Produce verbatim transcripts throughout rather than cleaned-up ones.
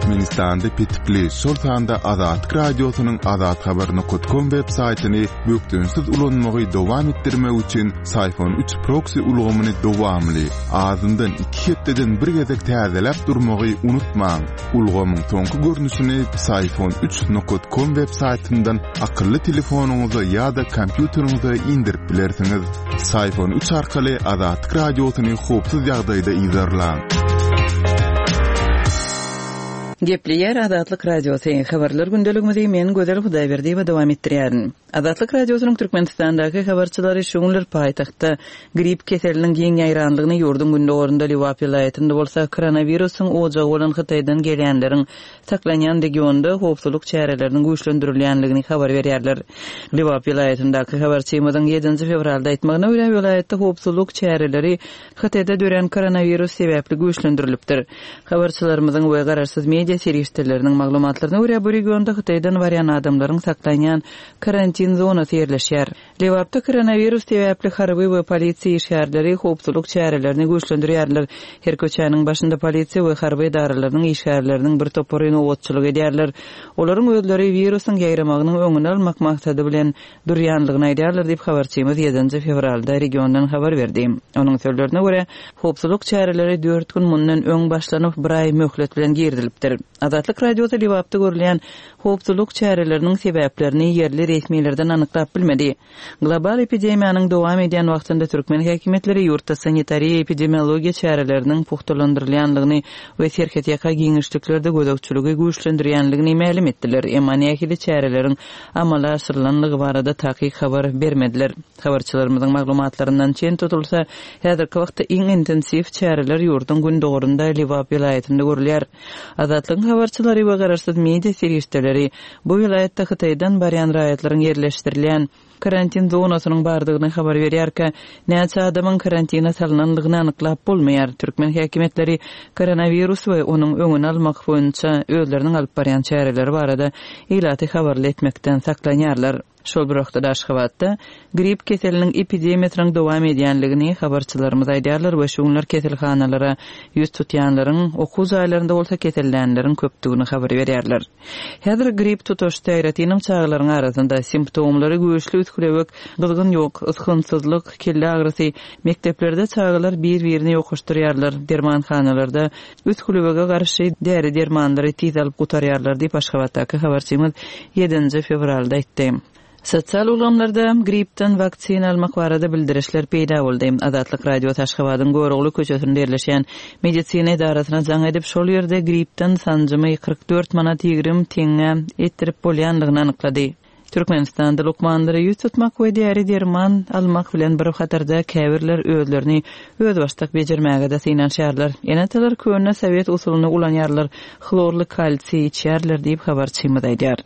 Türkmenistanda petikli, şol sanda Azatlyk Radiosynyň azathabar nokat kom web saýtyny bökdençsiz ulanmagy dowam etdirmek üçin Syfon üç proksi ulgamyny dowamly, azyndan iki hepdeden bir gezek täzeläp durmagy unutmaň. Ulgamyň soňky görnüşini Syfon üç nokat kom web saýtyndan akylly telefonyňyza ýa-da kompýuteriňize indirip bilersiňiz. Syfon üç arkaly Azatlyk Radiosyny howpsuz ýagdaýda yzarlaň. Gepleýär Azatlyk Radiosy. Habarlar gündeligimizi men Gözel Hudaýberdiýewa dowam etdirýärin. Azatlyk Radiosynyň Türkmenistandaky habarçylary şu günler paýtagtda grip keseliniň giň ýaýranlygyny, ýurduň gündogarynda Lebap welaýatynda bolsa koronawirusyň ojagy bolan Hytaýdan gelýänleriň saklanýan regionda howpsuzlyk çäreleriniň güýçlendirilýänligini habar berýärler. Lebap welaýatyndaky habarçymyzyň ýedinji fewralda aýtmagyna görä, welaýatda howpsuzlyk çäreleri Hytaýda dörän koronawirus sebäpli güýçlendirilipdir. Habarçylarymyzyň we garaşsyz media serişdeleriniň maglumatlaryna görä, bu regionda Hytaýdan barýan adamlaryň saklanýan karantin zonasy ýerleşýär. Lebapda koronawirus sebäpli harby we polisiýa işgärleri howpsuzlyk çärelerini güýçlendirýärler. Her köçäniň başynda polisiýa we harby edaralarynyň işgärleriniň bir topary nobatçylyk edýärler. Olaryň özleri wirusyň ýaýramagynyň öňüni almak maksady bilen durýanlygyny aýdýarlar diýip, habarçymyz ýedinji fewralda regiondan habar berdi. Onuň sözlerine görä, howpsuzlyk çäreleri dört gün mundan öň başlanyp, bir aý möhlet bilen girizilipdir. Azatlyk Radiosy Lebapda görülýän howpsuzlyk çäreleriniň sebäplerini ýerli resmilerden anyklap bilmedi. Global epidemiýanyň dowam edýän wagtynda türkmen häkimiýetleri ýurtda sanitariýa-epidemiologiýa çäreleriniň pugtalandyrylýanlygyny we serhetýaka giňişliklerde gözegçiligi güýçlendirýänligini mälim etdiler, emma nähili çäreleriň amala aşyrylanlygy barada takyk habar bermediler. Habarçylarymyzyň maglumatlaryndan çen tutulsa, häzirki wagtda iň intensiw çäreler ýurduň gündogarynda Lebap welaýatynda görülýär. Azatlygyň habarçylary we garaşsyz media serişdeleri bu welaýatda Hytaýdan barýan raýatlaryň ýerleşdirilýän karantin zonasynyň bardygyny habar berýärkä, näçe adamyň karantina salynandygyny anyklap bolmaýar. Türkmen häkimiýetleri koronawirus we onuň öňüni almak boýunça özleriniň alyp barýan çäreleri barada ilaty habarly etmekden saklanýarlar. Şol bir wagtda Aşgabatda grip keseliniň epidemiýasynyň dowam edýänligini habarçylarymyz aýdýarlar we şu günler keselhanalara ýüz tutýanlaryň, okuw jaýlarynda bolsa kesellänleriň köpdügini habar berýärler. Häzir grip tutaşdy, aýratynam çagalaryň arasynda simptomlary güýçli üsgülewük, gyzgyn ýok, ysgynsyzlyk, kelle agyrysy, mekdeplerde çagalar bir-birini ýokaşdyrýarlar, dermanhanalarda üsgülewüge garşy däri dermanlary tiz alyp gutarýarlar diýip Aşgabatdaky habarçymyz ýedinji fewralda aýtdy. Sosial ulgamlarda gripden waksina almak barada bildirişler peýda boldy. Azatlyk Radiosy Aşgabadyň Görogly köçesinde ýerleşýän medisina edarasyna jaň edip, şol ýerde gripden sanjymy kyrk dört manat ýigrimi teňňe etdirip bolýandygyny anyklady. Türkmenistanda lukmanlara ýüz tutmak we däri derman almak bilen bir hatarda käbirler özlerini özbaşdak bejermäge-de synanyşýarlar. Ene-atalar köne sowet usulyny ulanýarlar, hlorly kalsiý içýärler diýip habarçymyz aýdýar.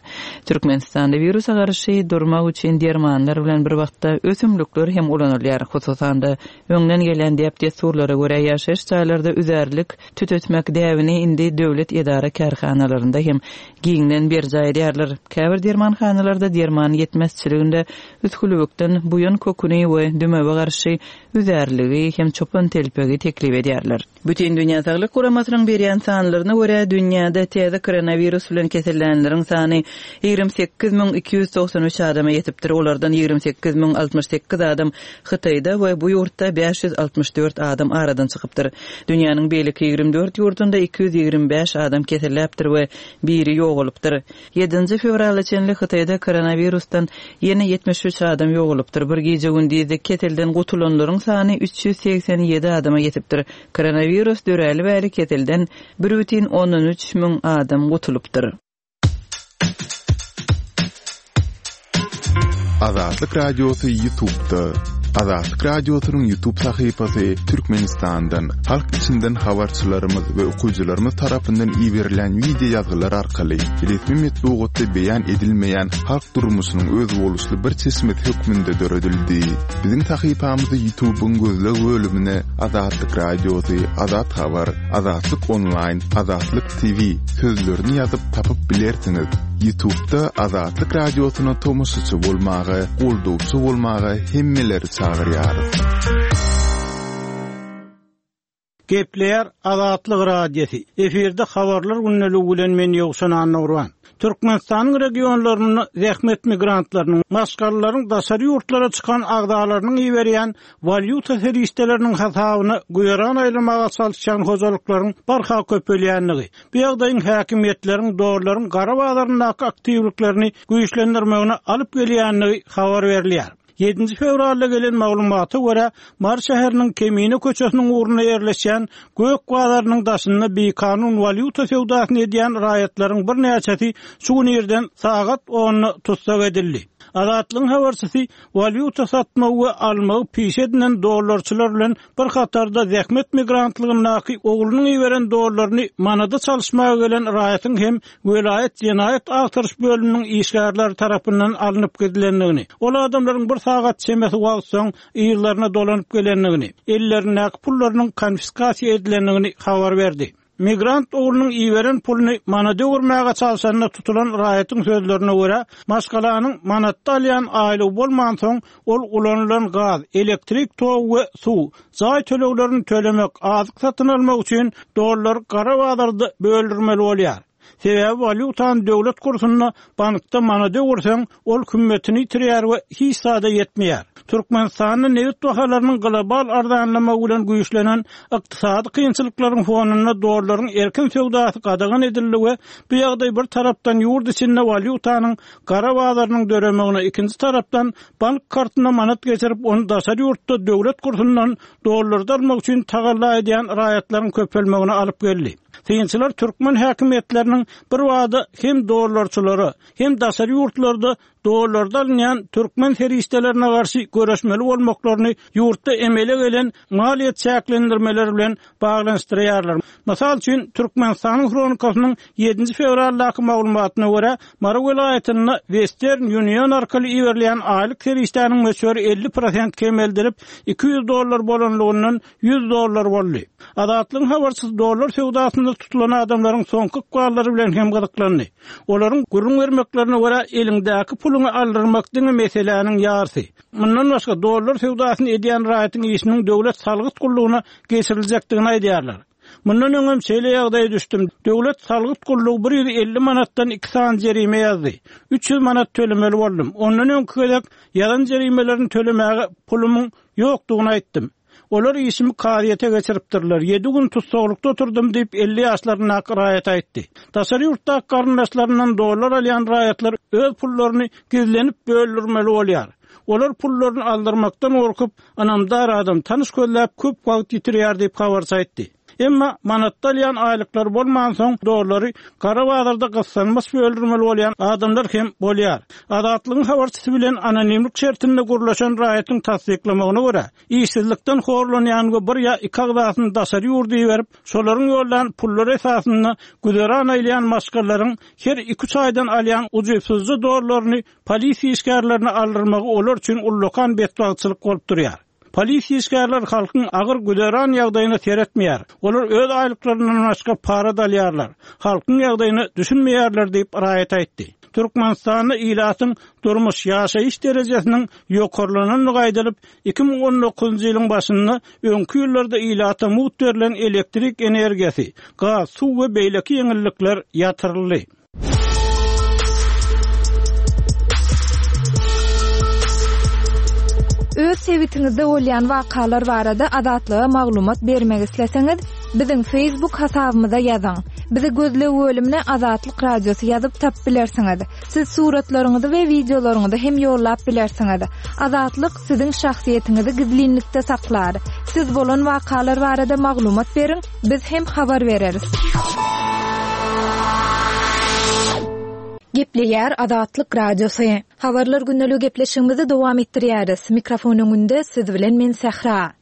Türkmenistanda wirusa garşy durmak üçin dermanlar bilen bir wagtda ösümlikler hem ulanylýar. Hususan-da, öňden gelen däp-dessurlara görä ýaşaýyş jaýlarda üzärlik tütetmek däbini indi döwlet edara kärhanalarynda hem giňden berjaý edýärler. Käbir dermanhanalarda derman ýetmezçiliginde üsgülewükden buýan köküni we dümewe garşy üzärligi hem çopan telpegi teklip edýärler. Bütindünýä Saglyk Guramasynyň berýän sanlaryna görä, dünýäde täze koronawirus bilen kesellänleriň sany ýigrimi sekiz müň iki ýüz togsan üç adama ýetipdir. Olardan ýigrimi sekiz müň altmyş sekiz adam Hytaýda we bu ýurtda bäş ýüz altmyş dört adam aradan çykypdyr. Dünýäniň beýleki ýigrimi dört ýurdunda iki ýüz ýigrimi bäş adam keselläpdir we biri ýogalypdyr. Ýedinji fewrala çenli Hytaýda koronawirusdan ýene ýetmiş üç adam ýogalypdyr. Bir gije-gündizde keselden gutulanlaryň sany üç ýüz segsen ýedi adama ýetipdir. Koronawirus döräli bäri keselden bir bütin ondan üç müň adam gutulypdyr. Azatlyk Radiosy YouTube'da. Azatlyk Radiosynyň YouTube sahypasy Türkmenistandan, halk içinden habarçylarymyz we okyjylarymyz tarapyndan iberilen wideo ýazgylar arkaly resmi metbugatda beýan edilmeýän halk durmuşynyň özboluşly bir çeşmesi hökmünde döredildi. Biziň sahypamyzy YouTube'yň gözleg bölümine Azatlyk Radiosy, Azat Habar, Azatlyk Online, Azatlyk T V sözlerini ýazyp tapyp bilersiňiz. YouTube'da Azatlyk Radiosyna tomaşaçy bolmaga, goldawçy bolmaga hemmeleri çagyrýarys. Gepleýär Azatlyk Radiosy. Efirde habarlar gündeligi bilen men Ýowşan Annagurban. Türkmenistanyň regionlarynda zähmet migrantlarynyň, maşgalalaryň daşary ýurtlara çykan agzalarynyň iberýän walýuta serişdeleriniň hasabyna güzeran aýlamaga çalyşýan hojalyklaryň barha köpelýänligi, bu ýagdaýyň häkimiýetleriň dollaryň gara bazaryndaky aktiwliklerini güýçlendirmegine alyp gelýänligi habar berilýär. Ýedinji fewralda gelen maglumata görä, Mary şäheriniň Kemine köçesiniň ugrunda ýerleşýän Gök bazarynyň daşynda bikanun walýuta söwdasyny edýän raýatlaryň birnäçesi şu gün irden sagat onda tussag edildi. Azatlygyň habarçysy walýuta satmagy we almagy piş edinen dollarçylar bilen bir hatarda zähmet migrantlygyndaky oglunyň iberen dollaryny manada çalyşmaga gelen raýatyň hem welaýat jenaýat agtaryş bölüminiň işgärleri tarapyndan alnyp gidilendigini, ol adamlaryň bir sagat çemesi wagt soň ýerlerine dolanyp gelendigini, ellerindäki pullarynyň konfiskasiýa edilendigini habar berdi. Migrant oglunyň iberen puluny manada öwürmäge çalşanda tutulan raýatyň sözlerine görä, maşgalanyň manatda alýan aýlygy bolmansoň, ol ulanylan gaz, elektrik togy we suw, jaý töleglerini tölemek, azyk satyn almak üçin dollar gara bazarda böldürmeli bolýar. Sebäbi walýutany döwlet kursunda bankda manada öwürseň, ol hümmetini ýitirýär we hiç zada ýetmeýär. Türkmenistanda nebit bahalarynyň global arzanlamagy bilen güýçlenen ykdysady kynçylyklaryň fonunda dollaryň erkin söwdasy gadagan edildi we bu ýagdaý bir tarapdan ýurt içinde walýutanyň gara bazarynyň döremegine, ikinji tarapdan bank kartyna manat geçirip, ony daşary ýurtda döwlet kursundan dollarda almak üçin tagalla edýän raýatlaryň köpelmegine alyp geldi. Synçylar türkmen häkimiýetleriniň bir wada hem dollarçylara, hem daşary ýurtlarda dollarda alynýan türkmen serişdelerine garşy göreşmeli bolmaklaryny ýurtda emele gelen maliýe çäklendirmeleri bilen baglanyşdyrýarlar. Mysal üçin, Türkmenistanyň Hronikasynyň ýedinji fewraldaky maglumatyna görä, Mary welaýatynda Western Union arkaly iberilýän aýlyk serişdäniň möçberi elli prosent kemeldilip, iki ýüz dollar bolanlygyndan ýüz dollar boldy. Azatlygyň habarçysy dollar söwdasynda tutulan adamlaryň soňky ykballary bilen hem gyzyklandy. Olaryň gürrüň bermeklerine görä, eliňdäki puluňy aldyrmak diňe meseläniň ýarysy. Mundan başga dollar söwdasyny edýän raýatyň işiniň döwlet salgyt gullugyna geçiriljekdigini aýdýarlar. Mundan öňem şeýle ýagdaýa düşdüm. Döwlet salgyt gullugy bir ýüz elli manatdan iki sany jerime ýazdy. Üç ýüz manat tölemeli boldum. Ondan öňki gezek ýazan jerimelerini tölemäge pulumyň ýokdugyny aýtdym. Olar işimi kazyýete geçiripdirler. Ýedi gün tussaglykda oturdum diýip elli ýaşlaryndaky raýat aýtdy. Daşary ýurtdaky garyndaşlaryndan dollar alýan raýatlar öz pullaryny gizlenip böldürmeli bolýar. Olar pullaryny aldyrmakdan gorkup, ynamdar adam tanyş gözläp köp wagt ýitirýär diýip habarçy aýtdy. Emma manatda alýan aýlyklar bolmansoň dollary gara bazarda gyssanmaç böldürmeli bolýan adamlar hem bolýar. Azatlygyň habarçysy bilen anonimlik şertinde gurlaşan raýatyň tassyklamagyna görä, işsizlikden horlanýan we bir ýa iki agzasyny daşary ýurda iberip, şolaryň ýollan pullary esasynda güzeran aýlaýan maşgalalaryň her iki üç aýdan alýan ujypsyzja dollaryny polisiýa işgärlerine aldyrmagy olar üçin ullakan betbagtçylyk bolup durýar. Polisiýa işgärler halkyň agyr güzeran ýagdaýyna seretmeýär. Olar öz aýlyklaryndan başga para alýarlar. Halkyň ýagdaýyna düşünmeýärler diýip raýat aýtdy. Türkmenistanda ilatyň durmuş ýaşaýyş derejesiniň ýokarlanandygy aýdylyp, iki müň on dokuzynjy ýylyň başynda öňki ýyllarda ilata mugt berlen elektrik energiýasy, gaz, suw we beýleki ýeňillikler ýatyryldy. Öz sebitiňizde bolýan wakalar barada Azatlyga maglumat bermek isleseňiz, biziň Facebook hasabymyza ýazyň. Bizi gözleg bölümine Azatlyk Radiosy ýazyp tap bilersiňiz. Siz suratlaryňyzy we wideolaryňyzy hem ýollap bilersiňiz. Azatlyk siziň şahsyýetiňizi gizlinlikde saklar. Siz bolan wakalar barada maglumat beriň, biz hem habar bereris. Gepleýär Azatlyk Radiosy. Habarlar gündelik gepleşigimizi dowam etdirýäris. Mikrofon öňünde siz bilen men Sähra.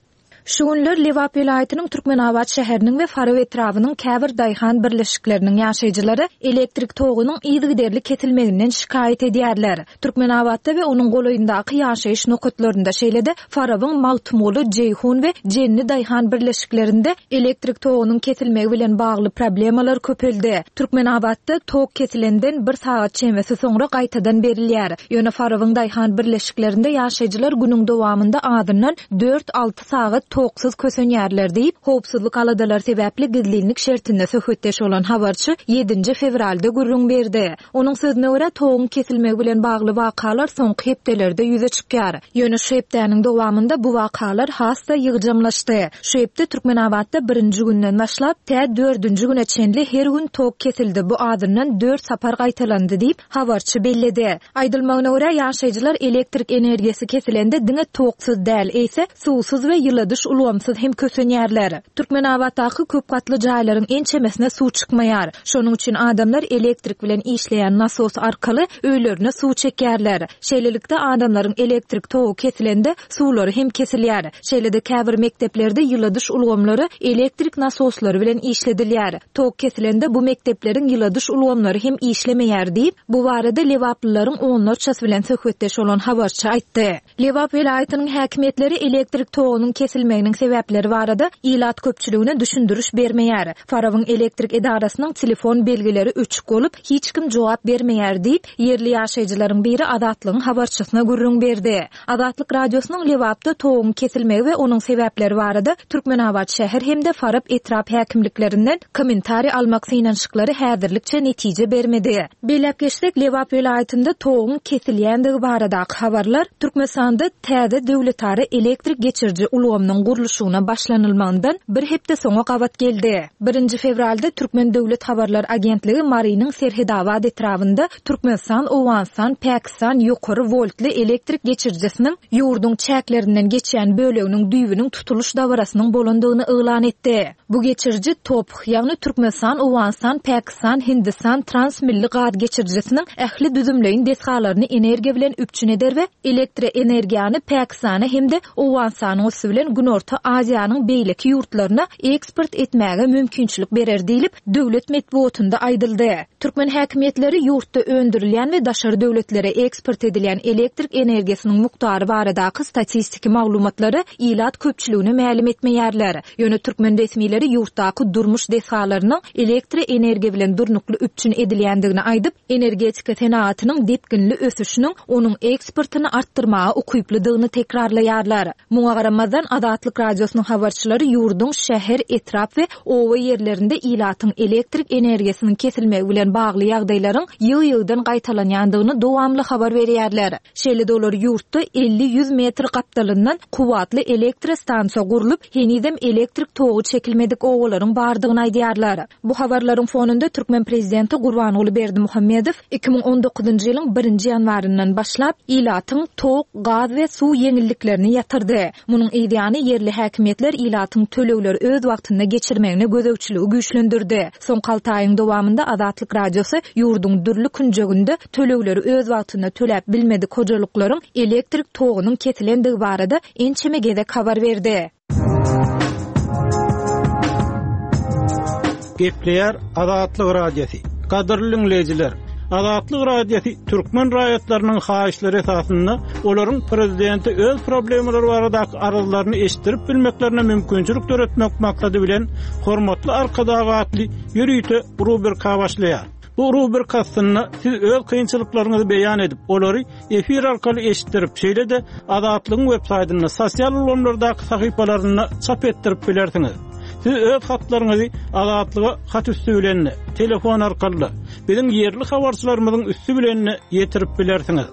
Şu günler Lebap welaýatynyň Türkmenabat şäheriniň we Farap etrabynyň käbir daýhan birleşikleriniň ýaşaýjylary elektrik togunyň yzygiderli kesilmeginden şikaýat edýärler. Türkmenabatda we onuň golaýyndaky ýaşaýyş nokatlarynda, şeýle-de Farabyň Magtymguly, Jeýhun we Jenni daýhan birleşiklerinde elektrik togunyň kesilmegi bilen bagly problemalar köpeldi. Türkmenabatda tok kesilenden bir sagat çemesi soňra gaýtadan berilýär. Ýöne Farabyň daýhan birleşiklerinde ýaşaýjylar günüň dowamynda azyndan dört-alty sagat toksuz kösenýärler diýip, howpsuzlyk aladalary sebäpli gizlinlik şertinde söhbetdeş bolan habarçy ýedinji fewralda gürrüň berdi. Onuň sözüne görä, toguň kesilmegi bilen bagly wakalar soňky hepdelerde ýüze çykýar. Ýöne şu hepdäniň dowamynda bu wakalar has-da ýygjamlaşdy. Şu hepde Türkmenabatda birinji günden başlap, tä dördünji güne çenli her gün tok kesildi, bu azyndan dört sapar gaýtalandy diýip, habarçy belledi. Aýdylmagyna görä, ýaşaýjylar elektrik energiýasy kesilende diňe toksuz däl, eýse suwsuz we ýyladyş ulgamsyz hem kösenýärler. Türkmenabatdaky köp gatly jaýlaryň ençemesine suw çykmaýar. Şonuň üçin adamlar elektrik bilen işleýän nasos arkaly öýlerine suw çekýärler. Şeýlelikde, adamlaryň elektrik togy kesilende suwlary hem kesilýär. Şeýle-de käbir mekdeplerde ýyladyş ulgamlary elektrik nasoslary bilen işledilýär. Tok kesilende bu mekdepleriň ýyladyş ulgamlary hem işlemeýär diýip, bu barada lebaplylaryň onlarçasy bilen söhbetdeş bolan habarçy aýtdy. Lebap welaýatynyň häkimiýetleri elektrik togunyň kesilmeginiň sebäpleri barada ilat köpçüligine düşündiriş bermeýär. Farabyň elektrik edarasynyň telefon belgileri öçük bolup, hiç kim jogap bermeýär diýip, ýerli ýaşaýjylaryň biri Azatlygyň habarçysyna gürrüň berdi. Azatlyk Radiosynyň Lebapda toguň kesilmegi we onuň sebäpleri barada Türkmenabat şäher hem-de Farap etrap häkimliklerinden kommentariý almak synanyşyklary häzirlikçe netije bermedi. Belläp geçsek, Lebap welaýatynda toguň kesilýändigi baradaky habarlar Türkmenistanda täze döwletara elektrik geçiriji ulgamynyň gurluşygyna başlanylmagyndan bir hepde soňa gabat geldi. Birinji fewralda Türkmen döwlet habarlar agentligi Marynyň Serhedabat etrabynda Türkmenistan, Owganystan, Pakistan ýokary woltly elektrik geçirijisiniň ýurduň çäklerinden geçýän böleginiň düýbüniň tutulyş dabarasynyň bolandygyny yglan etdi. Bu geçiriji TOPH, ýagny Türkmenistan, Owganystan, Pakistan, Hindistan transmilli gaz geçirijisiniň ähli düzümleýin desgalaryny energiýa bilen üpjün eder we elektroenergiýany Pakistana hem-de Owganystanyň üsti bilen Günorta Aziýanyň beýleki ýurtlaryna eksport etmäge mümkinçilik berer diýlip, döwlet metbugatynda aýdyldy. Türkmen häkimiýetleri ýurtda öndürilýän we daşary döwletlere eksport edilýän elektrik energiýasynyň mukdary baradaky statistiki maglumatlary ilat köpçüligine mälim etmeýärler. Ýöne türkmen resmileri ýurtdaky durmuş desgalarynyň elektroenergiýa bilen durnukly üpjün edilýändigini aýdyp, energetika senagatynyň depginli ösüşiniň onuň eksportyny artdyrmaga ukyplydygyny tekrarlaýarlar. Muňa garamazdan, Azatlyk Radiosynyň habarçylary ýurduň şäher, etrap we oba ýerlerinde ilatyň elektrik energiýasynyň kesilmegi bilen bagly ýagdaýlaryň ýygy-ýygydan gaýtalanýandygyny dowamly habar berýärler. Şeýle-de olar ýurtda elli-ýüz metr gapdalyndan kuwwatly elektrostansiýa gurlup, henizem elektrik togy çekilmedik obalaryň bardygyny aýdýarlar. Bu habarlaryň fonunda türkmen prezidenti Gurbanguly Berdimuhamedow iki müň on dokuzynjy ýylyň birinji ýanwaryndan başlap ilatyň tok, gaz we suw ýeňilliklerini ýatyrdy. Munuň yz ýany ýerli häkimiýetler ilatyň tölegleri öz wagtynda geçirmegine gözegçiligi güýçlendirdi. Soňky alty aýyň dowamynda Azatlyk Radiosy ýurduň dürli künjeginde tölegleri öz wagtynda töläp bilmedik hojalyklaryň elektrik togunyň kesilendigi barada ençeme gezek habar berdi. Gepleýär Azatlyk Radiosy. Gadyrly diňleýjiler, Azatlyk Radiosy türkmen raýatlarynyň haýyşlary esasynda olaryň prezidente öz problemalary baradaky arzlaryny eşitdirip bilmeklerine mümkinçilik döretmek maksady bilen Hormatly Arkadag atly ýörite rubrika başlaýar. Bu rubrika aslynda siz öz kynçylyklaryňyzy beýan edip, olary efir arkaly eşitdirip, şeýle-de Azatlygyň web saýtynda, sosial ulgamlardaky sahypalarynda çap etdirip bilersiňiz. Siz öz hatlaryňyzy Azatlyga hat üstü bilen, telefon arkaly, biziň ýerli habarçylarymyzyň üstü bilen ýetirip bilersiňiz.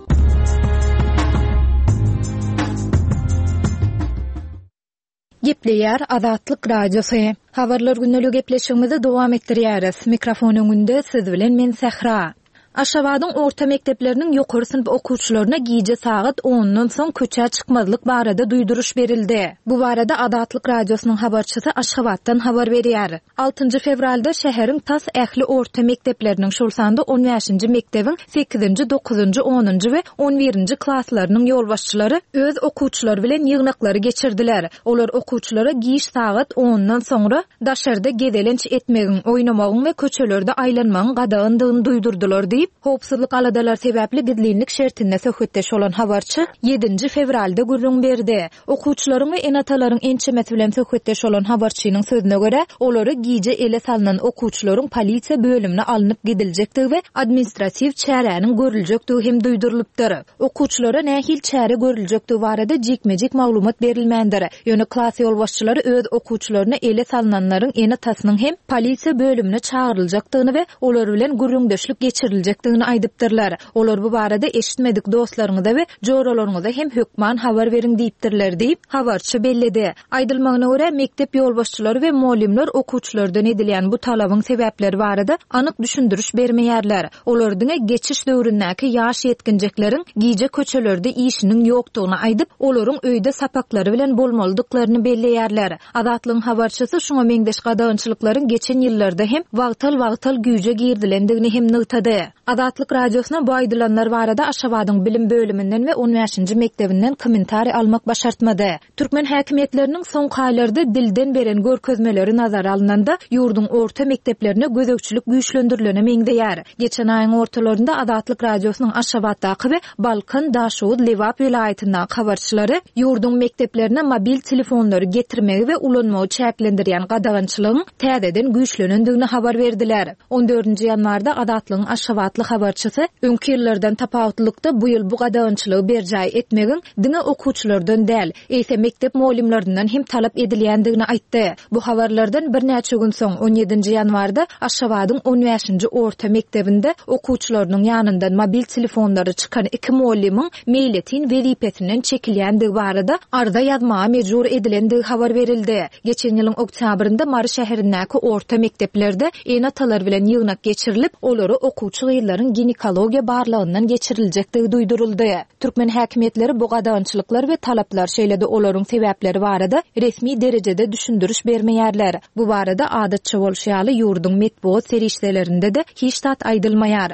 Gepleýär Azatlyk Radiosy. Habarlar gündelik gepleşigimizi dowam etdirýäris. Mikrofon öňünde siz bilen men Sähra. Aşgabadyň orta mekdepleriniň ýokary synp okuwçylaryna gije sagat ondan soň köçä çykmazlyk barada duýduryş berildi. Bu barada Azatlyk Radiosynyň habarçysy Aşgabatdan habar berýär. Altynjy fewralda şäheriň tas ähli orta mekdepleriniň, şol sanda on bäşinji mekdebiň sekizinji, dokuzynjy, onunjy we on birinji klaslarynyň ýolbaşçylary öz okuwçylary bilen ýygnaklary geçirdiler. Olar okuwçylara giç sagat ondan soňra daşarda gezelenç etmegiň, oýnamagyň we köçelerde aýlanmagyň gadagandygyny duýdurdylar diýip, diýip, howpsuzlyk aladalary sebäpli gizlinlik şertinde söhbetdeş bolan habarçy ýedinji fewralda gürrüň berdi. Okuwçylaryň we ene-atalaryň ençemesi bilen söhbetdeş bolan habarçynyň sözüne görä, olary gije ele salnan okuwçylaryň polisiýa bölümine alnyp gidiljekdigi we administratiw çäräniň görüljekdigi hem duýdurylypdyr. Okuwçylara nähili çäre görüljekdigi barada jikme-jik maglumat berilmändir. Ýöne klas ýolbaşçylary öz okuwçylaryna ele salnanlaryň ene-atasynyň hem polisiýa bölümine çagyryljakdygyny we olar bilen gürrüňdeşlik geçiriljekdigini aýdypdyrlar. Olar bu barada eşitmedik dostlaryňyza we joralaryňyza hem hökman habar beriň diýipdirler diýip, habarçy belledi. Aýdylmagyna görä, mekdep ýolbaşçylary we mugallymlar okuwçylardan edilýän bu talabyň sebäpleri barada anyk düşündiriş bermeýärler. Olar diňe geçiş döwründäki ýaş ýetginjekleriň gije köçelerde işiniň ýokdugyny aýdyp, olaryň öýde sapaklary bilen bolmalydyklaryny belleýärler. Azatlygyň habarçysy şuňa meňzeş gadagançylyklaryň geçen ýyllarda hem wagtal-wagtal güýje girdilendigini hem nygtady. Azatlyk Radiosyna bu aýdylanlar barada Aşgabadyň bilim bölüminden we on bäşinji mekdebinden kommentariý almak başartmady. Türkmen häkimiýetleriniň soňky aýlarda dilden beren görkezmeleri nazara alnanda, ýurduň orta mekdeplerine gözegçilik güýçlendirilene meňzeýär. Geçen aýyň ortalarynda Azatlyk Radiosynyň Aşgabatdaky we Balkan, Daşoguz, Lebap welaýatyndaky habarçylary ýurduň mekdeplerine mobil telefonlary getirmegi we ulanmagy çäklendirýän gadagançylygyň täzeden güýçlenendigini habar berdiler. On dördünji ýanwarda Azatlygyň Aşgabatly habarçysy öňki ýyllardan tapawutlylykda bu ýyl bu gadagançylygy berjaý etmegiň diňe okuwçylardan däl, eýse mekdep mugallymlaryndan hem talap edilýändigini aýtdy. Bu habarlardan birnäçe gün soň on ýedinji ýanwarda Aşgabadyň on bäşinji orta mekdebinde okuwçylarynyň ýanyndan mobil telefonlary çykan iki mugallymyň meýletin wezipesinden çekilýändigi barada arza ýazmaga mejbur edilendigi habar berildi. Geçen ýylyň oktýabrynda Mary şäherindäki orta mekdeplerde ene-atalar bilen ýygnak geçirilip, olary okuwçy gyzlaryň ginekologiýa barlagyndan geçiriljekdigi duýduryldy. Türkmen häkimiýetleri bu gadagançylyklar we talaplar, şeýle-de olaryň sebäpleri barada resmi derejede düşündiriş bermeýärler. Bu barada adatça bolşy ýaly ýurduň metbugat serişdelerinde-de hiç zat aýdylmaýar.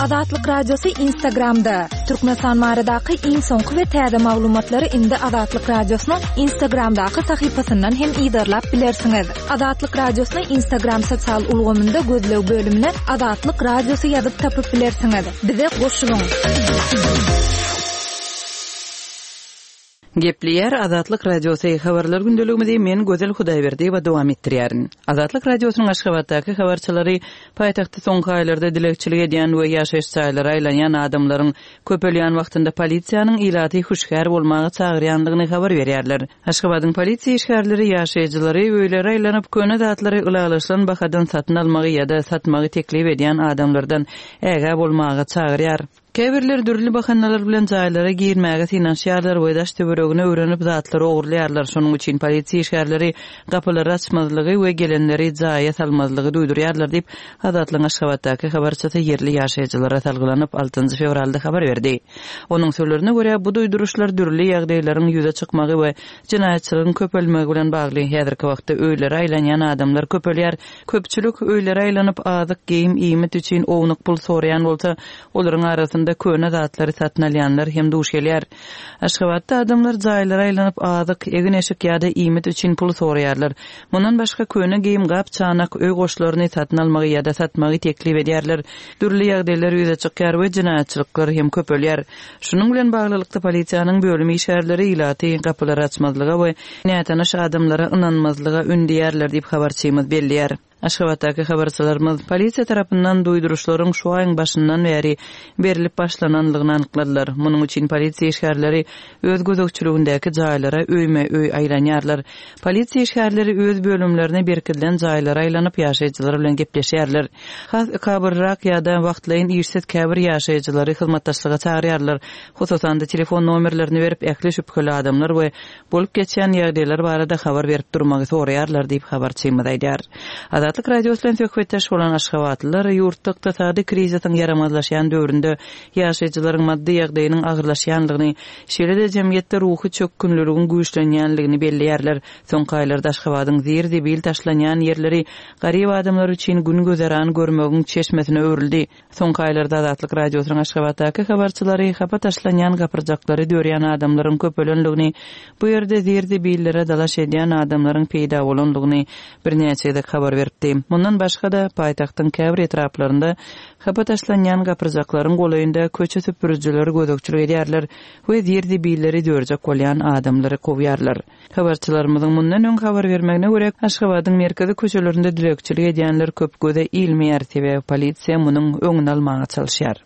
Azatlyk Radiosy Instagramda. Türkmenistan baradaky iň soňky we täze maglumatlary indi Azatlyk Radiosynyň Instagramdaky sahypasyndan hem yzarlap bilersiňiz. Azatlyk Radiosyny Instagram sosial ulgamynda gözleg bölümine Azatlyk Radiosy ýazyp tapyp bilersiňiz. Bize goşulyň. Gepleýär Azatlyk Radiosy habarlar gündeligimizi men Gözel Hudaýberdiýewa dowam etdirýärin. Azatlyk Radiosynyň Aşgabatdaky habarçylary paýtagtda soňky aýlarda dilegçilik edýän we ýaşaýyş jaýlara aýlanýan adamlaryň köpelýän wagtynda polisiýanyň ilaty hüşgär bolmaga çagyrýandygyny habar berýärler. Aşgabadyň polisiýa işgärleri ýaşaýjylary öýlere aýlanyp köne zatlary ylalaşylan bahadan satyn almagy ýa-da satmagy teklip edýän adamlardan ägä bolmaga çagyrýar. Käbirler dürli bahanalar bilen jaýlara girmäge synanyşýarlar we daş töweregini öwrenip zatlary ogurlaýarlar. Şonuň üçin polisiýa işgärleri gapylary açmazlygy we gelenleri jaýa salmazlygy duýdurýarlar diýip, Azatlygyň Aşgabatdaky habarçysy ýerli ýaşaýjylara salgylanyp altynjy fewralda habar berdi. Onuň sözlerine görä, bu duýduryşlar dürli ýagdaýlaryň ýüze çykmagy we jenaýatçylygyň köpelmegi bilen bagly. Häzirki wagtda öýlere aýlanýan adamlar köpelýär. Köpçülik öýlere aýlanyp azyk, geýim, iýmit üçin ownuk pul soraýan bolsa, olaryň arasynda köne zatlary satyn alýanlar hem duş gelýär. Aşgabatda adamlar jaýlara aýlanyp azyk, egin-eşik ýa-da iýmit üçin pul soraýarlar. Mundan başga köne geýim, gap, çanak, öý goşlaryny satyn almagy ýa-da satmagy teklip edýärler. Dürli ýagdaýlar ýüze çykýar we jenaýatçylyklar hem köpelýär. Şunuň bilen baglylykda polisiýanyň bölüm işgärleri ilaty gapylary açmazlyga we nätanyş adamlara ynanmazlyga ündeýärler diýip habarçymyz belleýär. Aşgabatdaky habarçylarymyz polisiýa tarapyndan duýduryşlaryň şu aýyň başyndan bäri berilip başlanandygyny anykladylar. Munuň üçin polisiýa işgärleri öz gözegçiligindäki jaýlara öýme öý aýlanýarlar. Polisiýa işgärleri öz bölümlerine berkidilen jaýlara aýlanyp ýaşaýjylar bilen gepleşýärler. Has ykabyrrak ýa-da wagtlaýyn işsiz käbir ýaşaýjylary hyzmatdaşlyga çagyrýarlar. Hususan-da telefon nomerlerini berip ähli şübheli adamlar we bolup geçýän ýagdaýlar barada habar berip durmagy soraýarlar diýip habarçymyz aýdýar. Azatlyk Radiosy bilen söhbetdeş bolan Aşgabatlylar ýurtda ykdysady krizisiň ýaramazlaşýan döwründe ýaşaýjylaryň maddy ýagdaýynyň agyrlaşýandygyny, şeýle-de jemgyýetde ruhy çökgünliligiň güýçlenýändigini belleýärler. Soňky aýlarda Aşgabadyň zir-zibil taşlanýan ýerleri garyp adamlar üçin gün gözeran görmegiň çeşmesine öwrüldi. Soňky aýlarda Azatlyk Radiosynyň Aşgabatdaky habarçylary hapa taşlanýan gapyrjaklary dörýän adamlaryň köpelendigini, bu ýerde zir-zibillere dalaş edýän adamlaryň peýda bolandygyny birnäçe gezek habar beripdiler. aýtdy. Mundan başga-da paýtagtyň käbir etraplarynda hapa taşlanýan gapyrjaklaryň golaýynda köçe süpürijileri gözegçilik edýärler we zir-zibilleri dörjek bolýan adamlary kowýarlar. Habarçylarymyzyň mundan öň habar bermegine görä, Aşgabadyň merkezi köçelerinde dilegçilik edýänler köp göze ilmeýär, sebäbi polisiýa munuň öňüni almaga çalyşýar.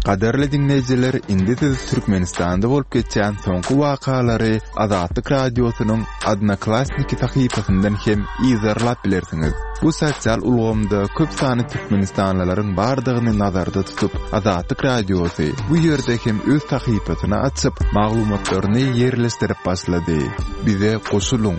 Gadyrly diňleýjiler, indi siz Türkmenistanda bolup geçýän soňky wakalary Azatlyk Radiosynyň Odnoklassniki sahypasyndan hem yzarlap bilersiňiz. Bu sosial ulgamda köp sanly türkmenistanlylaryň bardygyny nazarda tutup, Azatlyk Radiosy bu ýerde hem öz sahypasyny açyp, maglumatlaryny ýerleşdirip başlady. Bize goşulyň.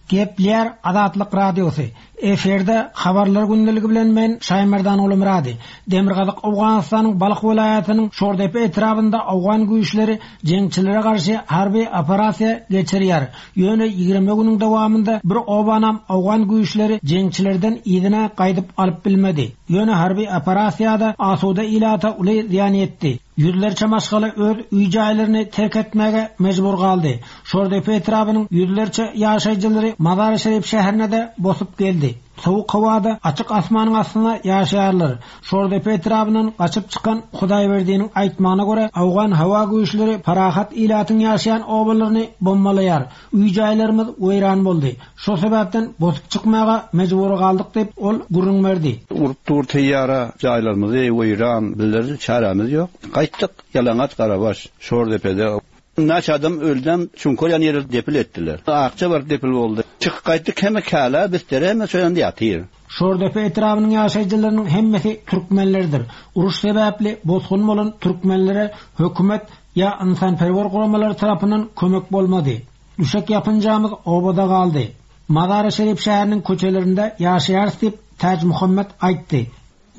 Gepleýär Azatlyk Radiosy. Efirde habarlar gündeligi bilen men Şaýmerdan Ulumyrady. Demirgazyk Owganystanyň Balh welaýatynyň Şordepe etrabynda Owgan güýçleri jeňçilere garşy harby operasiýa geçirýär. Ýöne ýigrimi günüň dowamynda bir obanam Owgan güýçleri jeňçilerden yzyna gaýdyp alyp bilmedi. Ýöne harby operasiýada asuda ilata uly zyýan ýetdi. Ýüzlerçe maşgala öz öý jaýlaryny terk etmäge mejbur galdy. Şordepe etrabynyň ýüzlerçe ýaşaýjylary Mazar-ı Şerif şäherine de bosup geldi. Soğuk howada açyk asmanyň astynda ýaşaýarlar. Şordepe etrabyndan gaçyp çykan Hudaýberdiniň aýtmagyna görä, Owgan howa güýçleri parahat ilatyň ýaşaýan obalaryny bombalaýar. Öý jaýlarymyz weýran boldy. Şo sebäpden bosup çykmaga mejbur galdyk diýip ol gürrüň berdi. Urup dur teýýara jaýlarymyzy weýran, bizler çäremiz ýok. Gaýtdyk ýalaňaç garabaş Şordepede. Naç adam öldüm, çünki ýan ýeri depil etdiler. Akça bar depil boldy. Çykyp gaýtdyk hemme käle, bistere hemme şoýanda ýatyr. Şordepe etrabynyň ýaşaýjylarynyň hemmesi türkmenlerdir. Uruş sebäpli bosgun bolan türkmenlere hökümet ýa ynsanperwer guramalary tarapyndan kömek bolmady. Düşek ýapynjamyz obada galdy. Mazar-ı Şerif şäheriniň köçelerinde ýaşaýarys diýip Täj Muhammed aýtdy.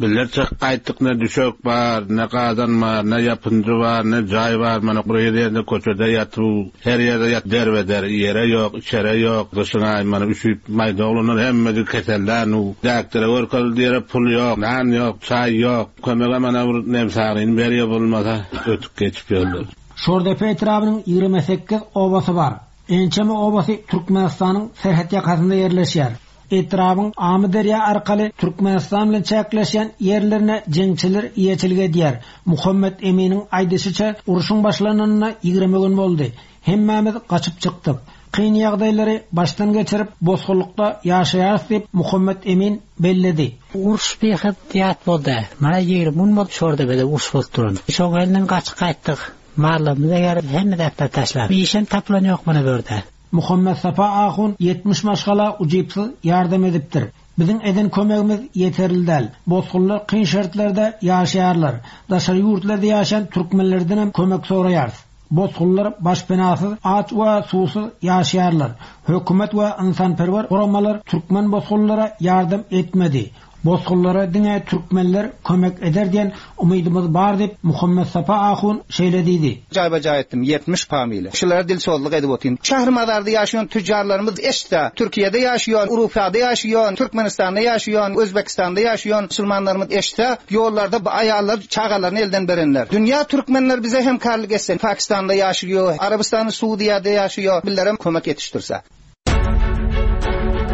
Bizler çykyp gaýtdyk, ne düşek bar, ne gazan bar, ne ýapynjy bar, ne jaý bar, mana bir ýerde köçede ýatyp, her ýerde ýat derbeder, ýere ýok, içere ýok, gyşyna mana üşüp maýda oglanlar hemmesi keseller, nu däkdere görkezildi ýere pul ýok, nan ýok, çaý ýok. Kömege mana bir nemsaryny berýär bolmasa ötüp geçip ýörler. Şordepe etrabynyň ýigrimi sekiz obasy bar. Ençeme obasy Türkmenistanyň serhet ýakasynda ýerleşýär. Etrabyň Amyderýa arkaly Türkmenistan bilen çäkleşýän ýerlerine jeňçiler eýeçilik edýär. Muhammed Eminiň aýdyşyça urşuň başlananyna ýigrimi gün boldy. Hemmämiz gaçyp çykdyk. Kyn ýagdaýlary başdan geçirip bosgunlykda ýaşaýarys diýip Muhammed Emin belledi. Uruş beýhat ýat boldy. Mana ýigrimi gün boldy Şordepede uruş bolup duran. Şoň elinden gaçyp gaýtdyk. Marlamyza gelip hemme zatlar taşlap. Işem tapylan ýok mana bu ýerde. Muhammed Safa Ahun ýetmiş maşgala ujypsyz ýardam edipdir. Biziň eden kömegimiz ýeterli däl. Bosgunlar kyn şertlerde ýaşaýarlar. Daşary ýurtlarda ýaşaýan türkmenlerden hem kömek soraýarys. Bosgunlar başpenasyz, aç we suwsuz ýaşaýarlar. Hökümet we ynsanperwer guramalar türkmen bosgunlara ýardam etmedi. Bosgunlara diňe türkmenler kömek eder diýen umydymyz bar diýip Muhammed Safa Ahun şeýle diýdi. Jaýba jaý etdim ýetmiş familýa. Şulara dil sozluk edip otyryn. Şäher mazarda ýaşaýan tüccarlarymyz eşitse, Türkiýede ýaşaýan, Urufada ýaşaýan, Türkmenistanda ýaşaýan, Özbekistanda ýaşaýan musulmanlarymyz eşitse, ýollarda bu aýallar çagalaryny elden berenler. Dünýä türkmenler bize hemkarlyk etsin. Pakistanda ýaşaýar, Arabystanda, Suudiýada ýaşaýar, bizlere kömek ýetişdirse.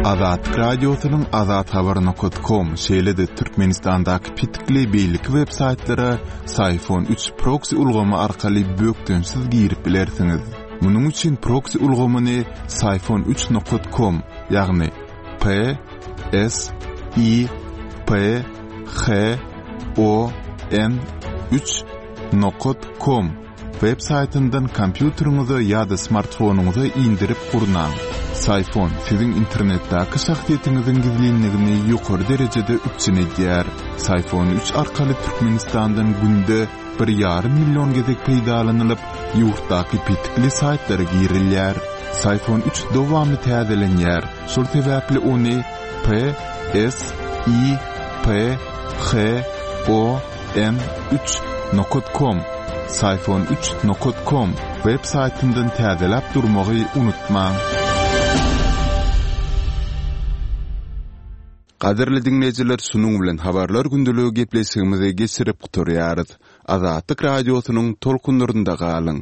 Azatlyk Radiosynyň azathabar nokta com şeýle-de Türkmenistandaky petikli beýleki web saýtlara Syfon üç proxy ulgamy arkaly bökdençsiz girip bilersiňiz. Munuň üçin proxy ulgamyny Syfon üç nokta com, ýagny P S I P H O N üç nokta com web saýtyndan kompýuteriňize ýa-da smartfonyňyza indirip gurnaň. Syfon siziň internetdäki şahsyýetiňiziň gizlinligini ýokary derejede üpjün edýär. Syfon üç arkaly Türkmenistandan günde bir ýarym million gezek peýdalanylyp, ýurtdaky petikli saýtlara girilýär. Syfon üç dowamly täzelenýär. Şol sebäpli ony P S I P H O N üç nokta com Syfon üç nokta com web saýtyndan täzeläp durmagy unutmaň. Gadyrly diňleýjiler, şunuň bilen habarlar gündeligi gepleşigimizi geçirip gutarýarys. Azatlyk radiosynyň tolkunlarynda galyň.